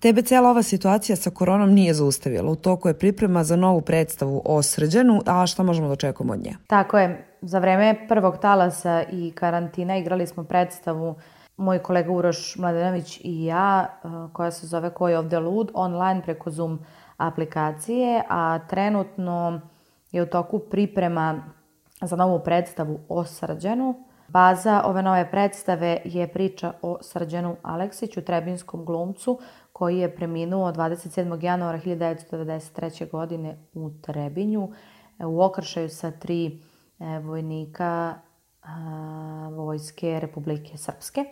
Tebe cijela ova situacija sa koronom nije zaustavila. U toku je priprema za novu predstavu o Srđanu, a šta možemo da očekujemo od nje? Tako je. Za vreme prvog talasa i karantina igrali smo predstavu moj kolega Uroš Mladenović i ja, koja se zove Ko je ovde lud, online preko Zoom aplikacije, a trenutno je u toku priprema za novu predstavu o Srđanu. Baza ove nove predstave je priča o Srđanu Aleksiću, trebinskom glumcu, koji je preminuo 27. januara 1993. godine u Trebinju u okršaju sa 3 vojnika Vojske Republike Srpske.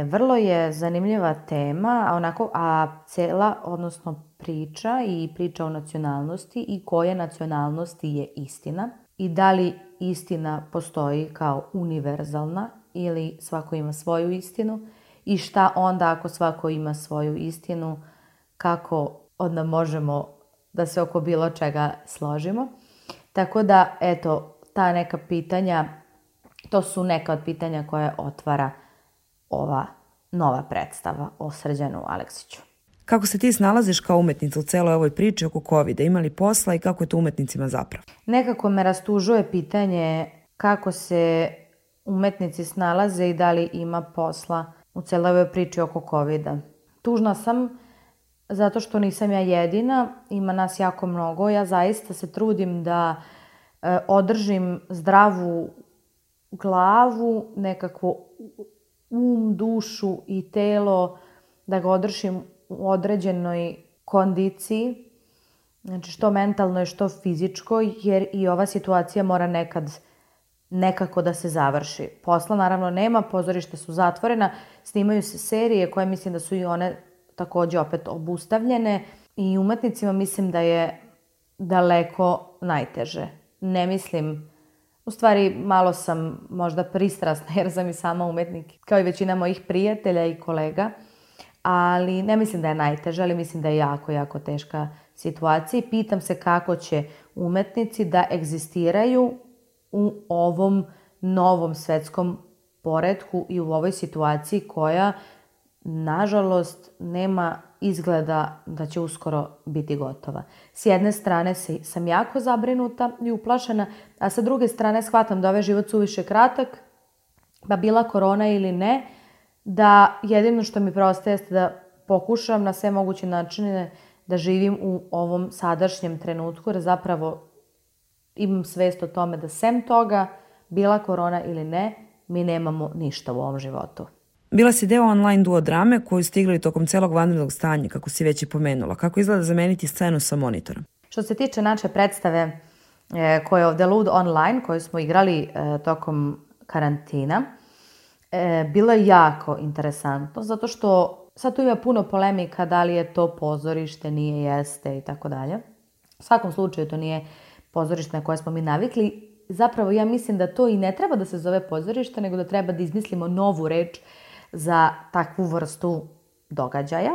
Vrlo je zanimljiva tema, a cela, odnosno priča o nacionalnosti i koje nacionalnosti je istina i da li istina postoji kao univerzalna ili svako ima svoju istinu i šta onda ako svako ima svoju istinu, kako onda možemo da se oko bilo čega složimo. Tako da, eto, ta neka pitanja, to su neka od pitanja koje otvara ova nova predstava o Srđanu Aleksiću. Kako se ti snalaziš kao umetnica u celoj ovoj priči oko COVID-a? Ima li posla i kako je to umetnicima zapravo? Nekako me rastužuje pitanje kako se umetnici snalaze i da li ima posla u celoj ovoj priči oko COVID-a. Tužna sam zato što nisam ja jedina, ima nas jako mnogo. Ja zaista se trudim da održim zdravu glavu, nekakvo dušu i telo, da ga održim u određenoj kondiciji, znači što mentalnoj, što fizičkoj, jer i ova situacija mora nekako da se završi. Posla naravno nema, pozorišta su zatvorena, snimaju se serije koje mislim da su i one takođe opet obustavljene i umetnicima mislim da je daleko najteže. Ne mislim, u stvari malo sam možda pristrasna jer sam i sama umetnik, kao i većina mojih prijatelja i kolega, ali ne mislim da je najteže, ali mislim da je jako, jako teška situacija i pitam se kako će umetnici da egzistiraju u ovom novom svetskom poretku i u ovoj situaciji koja, nažalost, nema izgleda da će uskoro biti gotova. S jedne strane sam jako zabrinuta i uplašena, a sa druge strane shvatam da ovaj život suviše kratak, pa bila korona ili ne, da jedino što mi preostaje jeste da pokušam na sve moguće načine da živim u ovom sadašnjem trenutku, jer zapravo imam svest o tome da sem toga, bila korona ili ne, mi nemamo ništa u ovom životu. Bila si deo online duo drame koju ste igrali tokom celog vanrednog stanja, kako si već i pomenula. Kako izgleda zameniti scenu sa monitorom? Što se tiče naše predstave Ko je ovde lud online, koju smo igrali tokom karantina, bilo je jako interesantno, zato što sad tu ima puno polemika da li je to pozorište, nije, jeste i tako dalje. U svakom slučaju to nije pozorište na koje smo mi navikli. Zapravo ja mislim da to i ne treba da se zove pozorište, nego da treba da izmislimo novu reč za takvu vrstu događaja.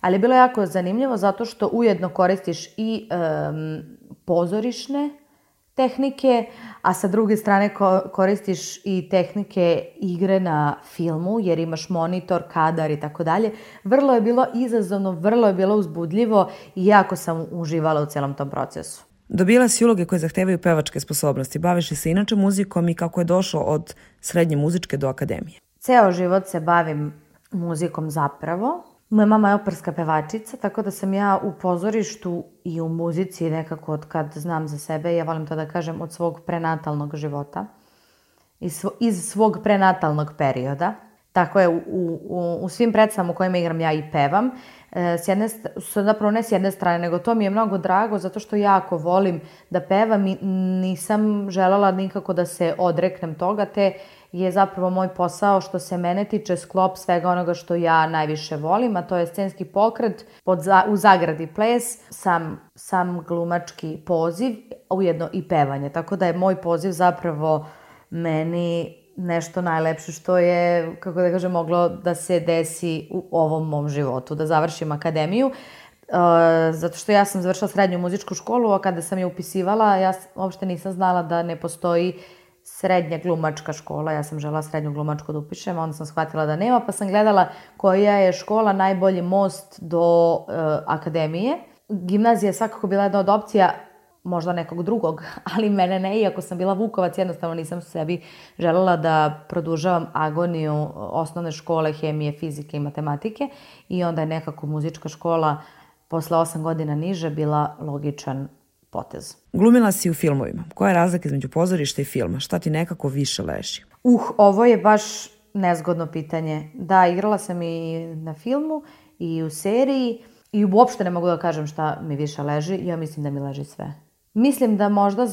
Ali je bilo jako zanimljivo zato što ujedno koristiš i pozorišne tehnike, a sa druge strane koristiš i tehnike igre na filmu, jer imaš monitor, kadar i tako dalje. Vrlo je bilo izazovno, vrlo je bilo uzbudljivo i jako sam uživala u celom tom procesu. Dobila si uloge koje zahtevaju pevačke sposobnosti. Baviš li se inače muzikom i kako je došlo od srednje muzičke do akademije? Ceo život se bavim muzikom zapravo. Moja mama je operska pevačica, tako da sam ja u pozorištu i u muzici nekako od kad znam za sebe, ja volim to da kažem, od svog prenatalnog života. Iz svog prenatalnog perioda. Tako je, u svim predstavama u kojima igram ja i pevam. Zapravo ne s jedne strane, nego to mi je mnogo drago zato što jako volim da pevam i nisam želela nikako da se odreknem toga, te je zapravo moj posao što se mene tiče sklop svega onoga što ja najviše volim, a to je scenski pokret, u zagradi ples, sam glumački poziv, ujedno i pevanje. Tako da je moj poziv zapravo meni nešto najlepše što je, kako da kažem, moglo da se desi u ovom mom životu, da završim akademiju. Zato što ja sam završila srednju muzičku školu, a kada sam je upisivala, ja uopšte nisam znala da ne postoji srednja glumačka škola, ja sam želela srednju glumačku da upišem, onda sam shvatila da nema, pa sam gledala koja je škola najbolji most do akademije. Gimnazija je svakako bila jedna od opcija, možda nekog drugog, ali mene ne, iako sam bila Vukovac, jednostavno nisam sebi želela da produžavam agoniju osnovne škole, hemije, fizike i matematike i onda je nekako muzička škola posle 8 godina niže bila logičan potez. Glumila si u filmovima. Koja je razlika između pozorišta i filma? Šta ti nekako više leži? Ovo je baš nezgodno pitanje. Da, igrala sam i na filmu i u seriji i uopšte ne mogu da kažem šta mi više leži. Ja mislim da mi leži sve. Mislim da možda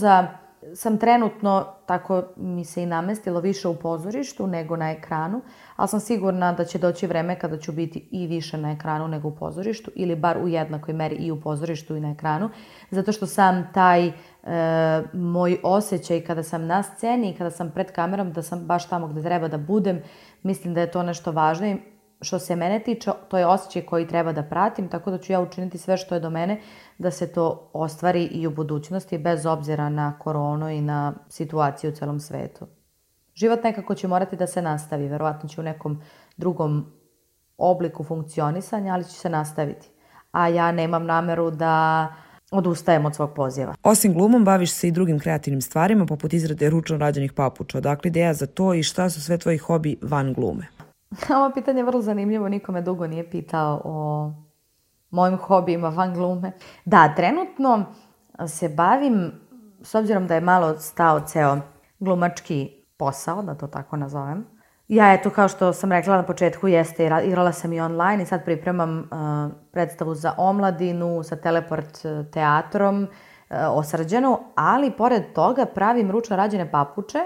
sam trenutno, tako mi se i namestilo, više u pozorištu nego na ekranu, ali sam sigurna da će doći vreme kada ću biti i više na ekranu nego u pozorištu ili bar u jednakoj meri i u pozorištu i na ekranu, zato što sam taj moj osjećaj kada sam na sceni i kada sam pred kamerom, da sam baš tamo gde treba da budem, mislim da je to nešto važno i što se mene tiče, to je osjećaj koji treba da pratim, tako da ću ja učiniti sve što je do mene da se to ostvari i u budućnosti, bez obzira na koronu i na situaciju u celom svetu. Život nekako će morati da se nastavi, verovatno će u nekom drugom obliku funkcionisanja, ali će se nastaviti. A ja nemam nameru da odustajem od svog poziva. Osim glumom, baviš se i drugim kreativnim stvarima, poput izrade ručno rađenih papuča. Odakle ideja za to i šta su sve tvoji hobi van glume? Ovo pitanje je vrlo zanimljivo, niko me dugo nije pitao o mojim hobijima van glume. Da, trenutno se bavim, s obzirom da je malo stao ceo glumački posao, da to tako nazovem. Ja, eto, kao što sam rekla na početku, igrala sam i online i sad pripremam predstavu za omladinu sa Teleport teatrom o Srđanu, ali pored toga pravim ručno rađene papuče.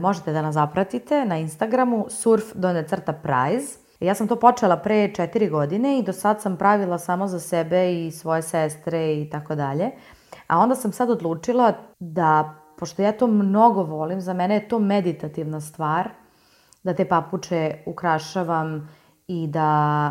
Možete da nas zapratite na Instagramu surf_prize. Ja sam to počela pre 4 godine i do sad sam pravila samo za sebe i svoje sestre i tako dalje. A onda sam sad odlučila da, pošto ja to mnogo volim, za mene je to meditativna stvar, da te papuče ukrašavam i da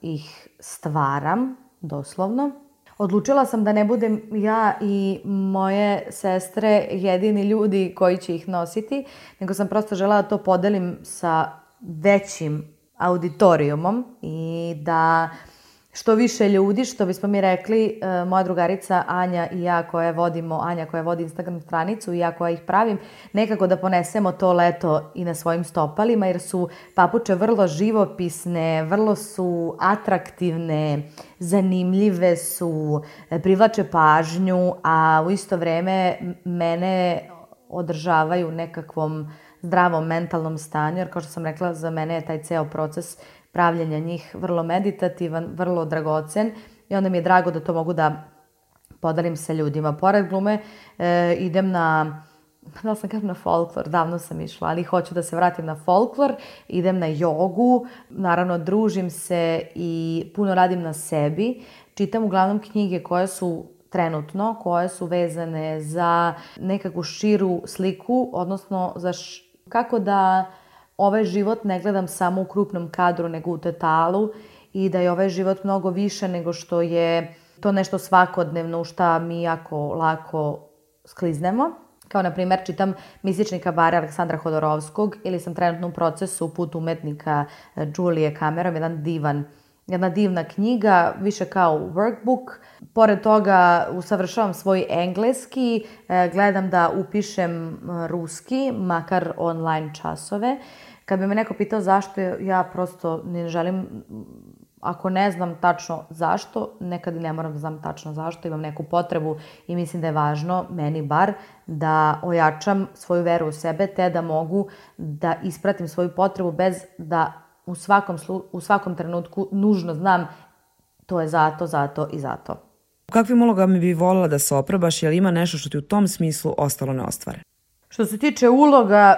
ih stvaram, doslovno. Odlučila sam da ne budem ja i moje sestre jedini ljudi koji će ih nositi, nego sam prosto želela da to podelim sa većim auditorijumom i da što više ljudi, što bismo mi rekli, moja drugarica Anja i ja Anja koja vodi Instagram stranicu i ja koja ih pravim, nekako da ponesemo to leto i na svojim stopalima, jer su papuče vrlo živopisne, vrlo su atraktivne, zanimljive su, privlače pažnju, a u isto vreme mene održavaju nekakvom zdravom mentalnom stanju, jer kao što sam rekla, za mene je taj ceo proces pravljenja njih vrlo meditativan, vrlo dragocen i onda mi je drago da to mogu da podelim sa ljudima. Pored glume idem na folklor, davno sam išla, ali hoću da se vratim na folklor, idem na jogu, naravno družim se i puno radim na sebi, čitam uglavnom knjige koje su vezane za nekakvu širu sliku, odnosno za kako da ovaj život ne gledam samo u krupnom kadru, nego u totalu i da je ovaj život mnogo više nego što je to nešto svakodnevno u šta mi jako lako skliznemo. Kao, na primjer, čitam Mistični kabare Aleksandra Hodorovskog ili sam trenutno u procesu Put umetnika Julie Cameron, jedna divna knjiga, više kao workbook. Pored toga usavršavam svoj engleski, gledam da upišem ruski, makar online časove. Kad bi me neko pitao zašto, ja prosto ne želim, ako ne znam tačno zašto, nekad i ne moram da znam tačno zašto, imam neku potrebu i mislim da je važno, meni bar, da ojačam svoju veru u sebe, te da mogu da ispratim svoju potrebu bez da u svakom trenutku nužno znam to je zato i zato. U kakvim ulogama bi voljela da se oprobaš, jer ima nešto što ti u tom smislu ostalo neostvare? Što se tiče uloga,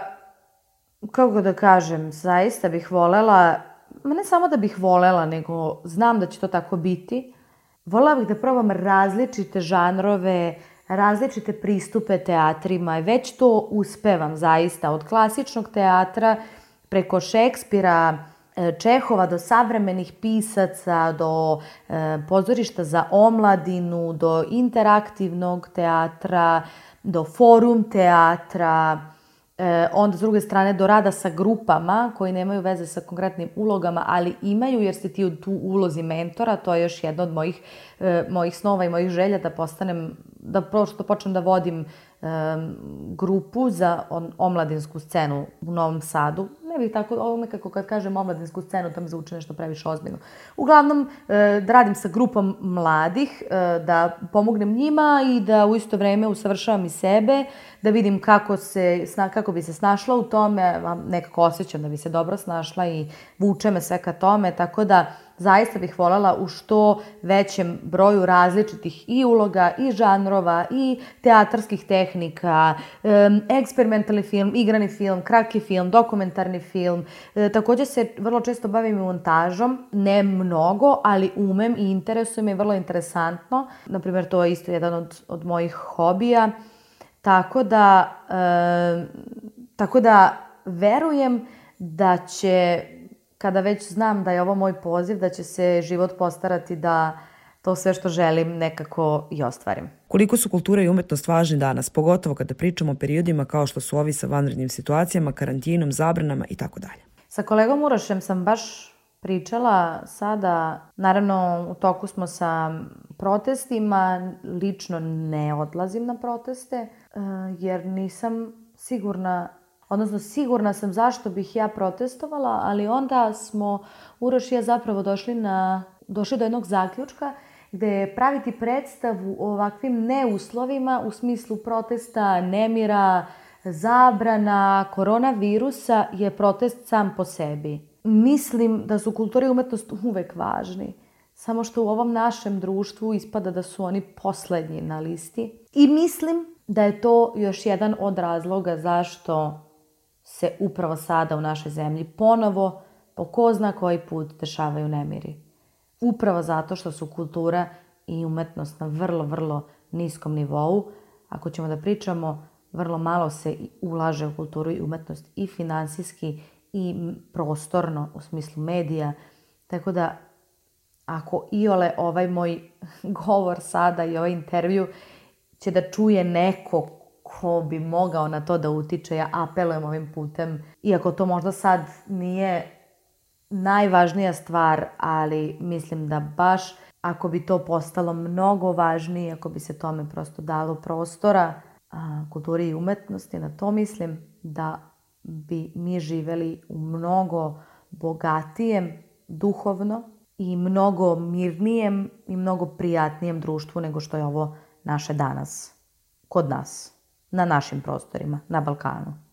kako da kažem, zaista bih voljela, ne samo da bih voljela, nego znam da će to tako biti. Voljela bih da probam različite žanrove, različite pristupe teatrima i već to uspevam zaista. Od klasičnog teatra preko Šekspira, Čehova do savremenih pisaca, do pozorišta za omladinu, do interaktivnog teatra, do forum teatra, onda s druge strane do rada sa grupama koji nemaju veze sa konkretnim ulogama, ali imaju jer si ti u tu ulozi mentora. To je još jedna od mojih snova i mojih želja da postanem, da prosto počnem da vodim grupu za omladinsku scenu u Novom Sadu. Ne bih tako, ovo nekako kad kažem omladinsku scenu, to mi zvuči nešto previše ozbiljno. Uglavnom, da radim sa grupom mladih, da pomognem njima i da u isto vreme usavršavam i sebe, da vidim kako bi se snašla u tome, nekako osjećam da bi se dobro snašla i vuče me sve ka tome, tako da zaista bih voljela u što većem broju različitih i uloga, i žanrova, i teatarskih tehnika, eksperimentalni film, igrani film, kratki film, dokumentarni film. Također se vrlo često bavim montažom, ne mnogo, ali umem i interesuje me, vrlo interesantno. Naprimjer, to je isto jedan od mojih hobija. Tako da verujem da će, kada već znam da je ovo moj poziv, da će se život postarati da to sve što želim nekako i ostvarim. Koliko su kultura i umetnost važni danas, pogotovo kada pričamo o periodima kao što su ovi sa vanrednim situacijama, karantinom, zabranama i tako dalje? Sa kolegom Urošem sam baš pričala sada, naravno u toku smo sa protestima, lično ne odlazim na proteste jer nisam sigurna, odnosno sigurna sam zašto bih ja protestovala, ali onda smo Uroš i ja zapravo došli do jednog zaključka gde je praviti predstavu o ovakvim neuslovima u smislu protesta, nemira, zabrana, koronavirusa je protest sam po sebi. Mislim da su kultura i umetnost uvek važni, samo što u ovom našem društvu ispada da su oni poslednji na listi. I mislim da je to još jedan od razloga zašto se upravo sada u našoj zemlji ponovo, po ko zna koji put, dešavaju nemiri. Upravo zato što su kultura i umetnost na vrlo, vrlo niskom nivou. Ako ćemo da pričamo, vrlo malo se ulaže u kulturu i umetnost i finansijski i prostorno u smislu medija. Tako da, ako iole ovaj moj govor sada i ovaj intervju će da čuje neko ko bi mogao na to da utiče, ja apelujem ovim putem. Iako to možda sad nije najvažnija stvar, ali mislim da baš ako bi to postalo mnogo važnije, ako bi se tome prosto dalo prostora, kulturi i umetnosti, na to mislim da bi mi živeli u mnogo bogatijem duhovno i mnogo mirnijem i mnogo prijatnijem društvu nego što je ovo naše danas, kod nas, na našim prostorima, na Balkanu.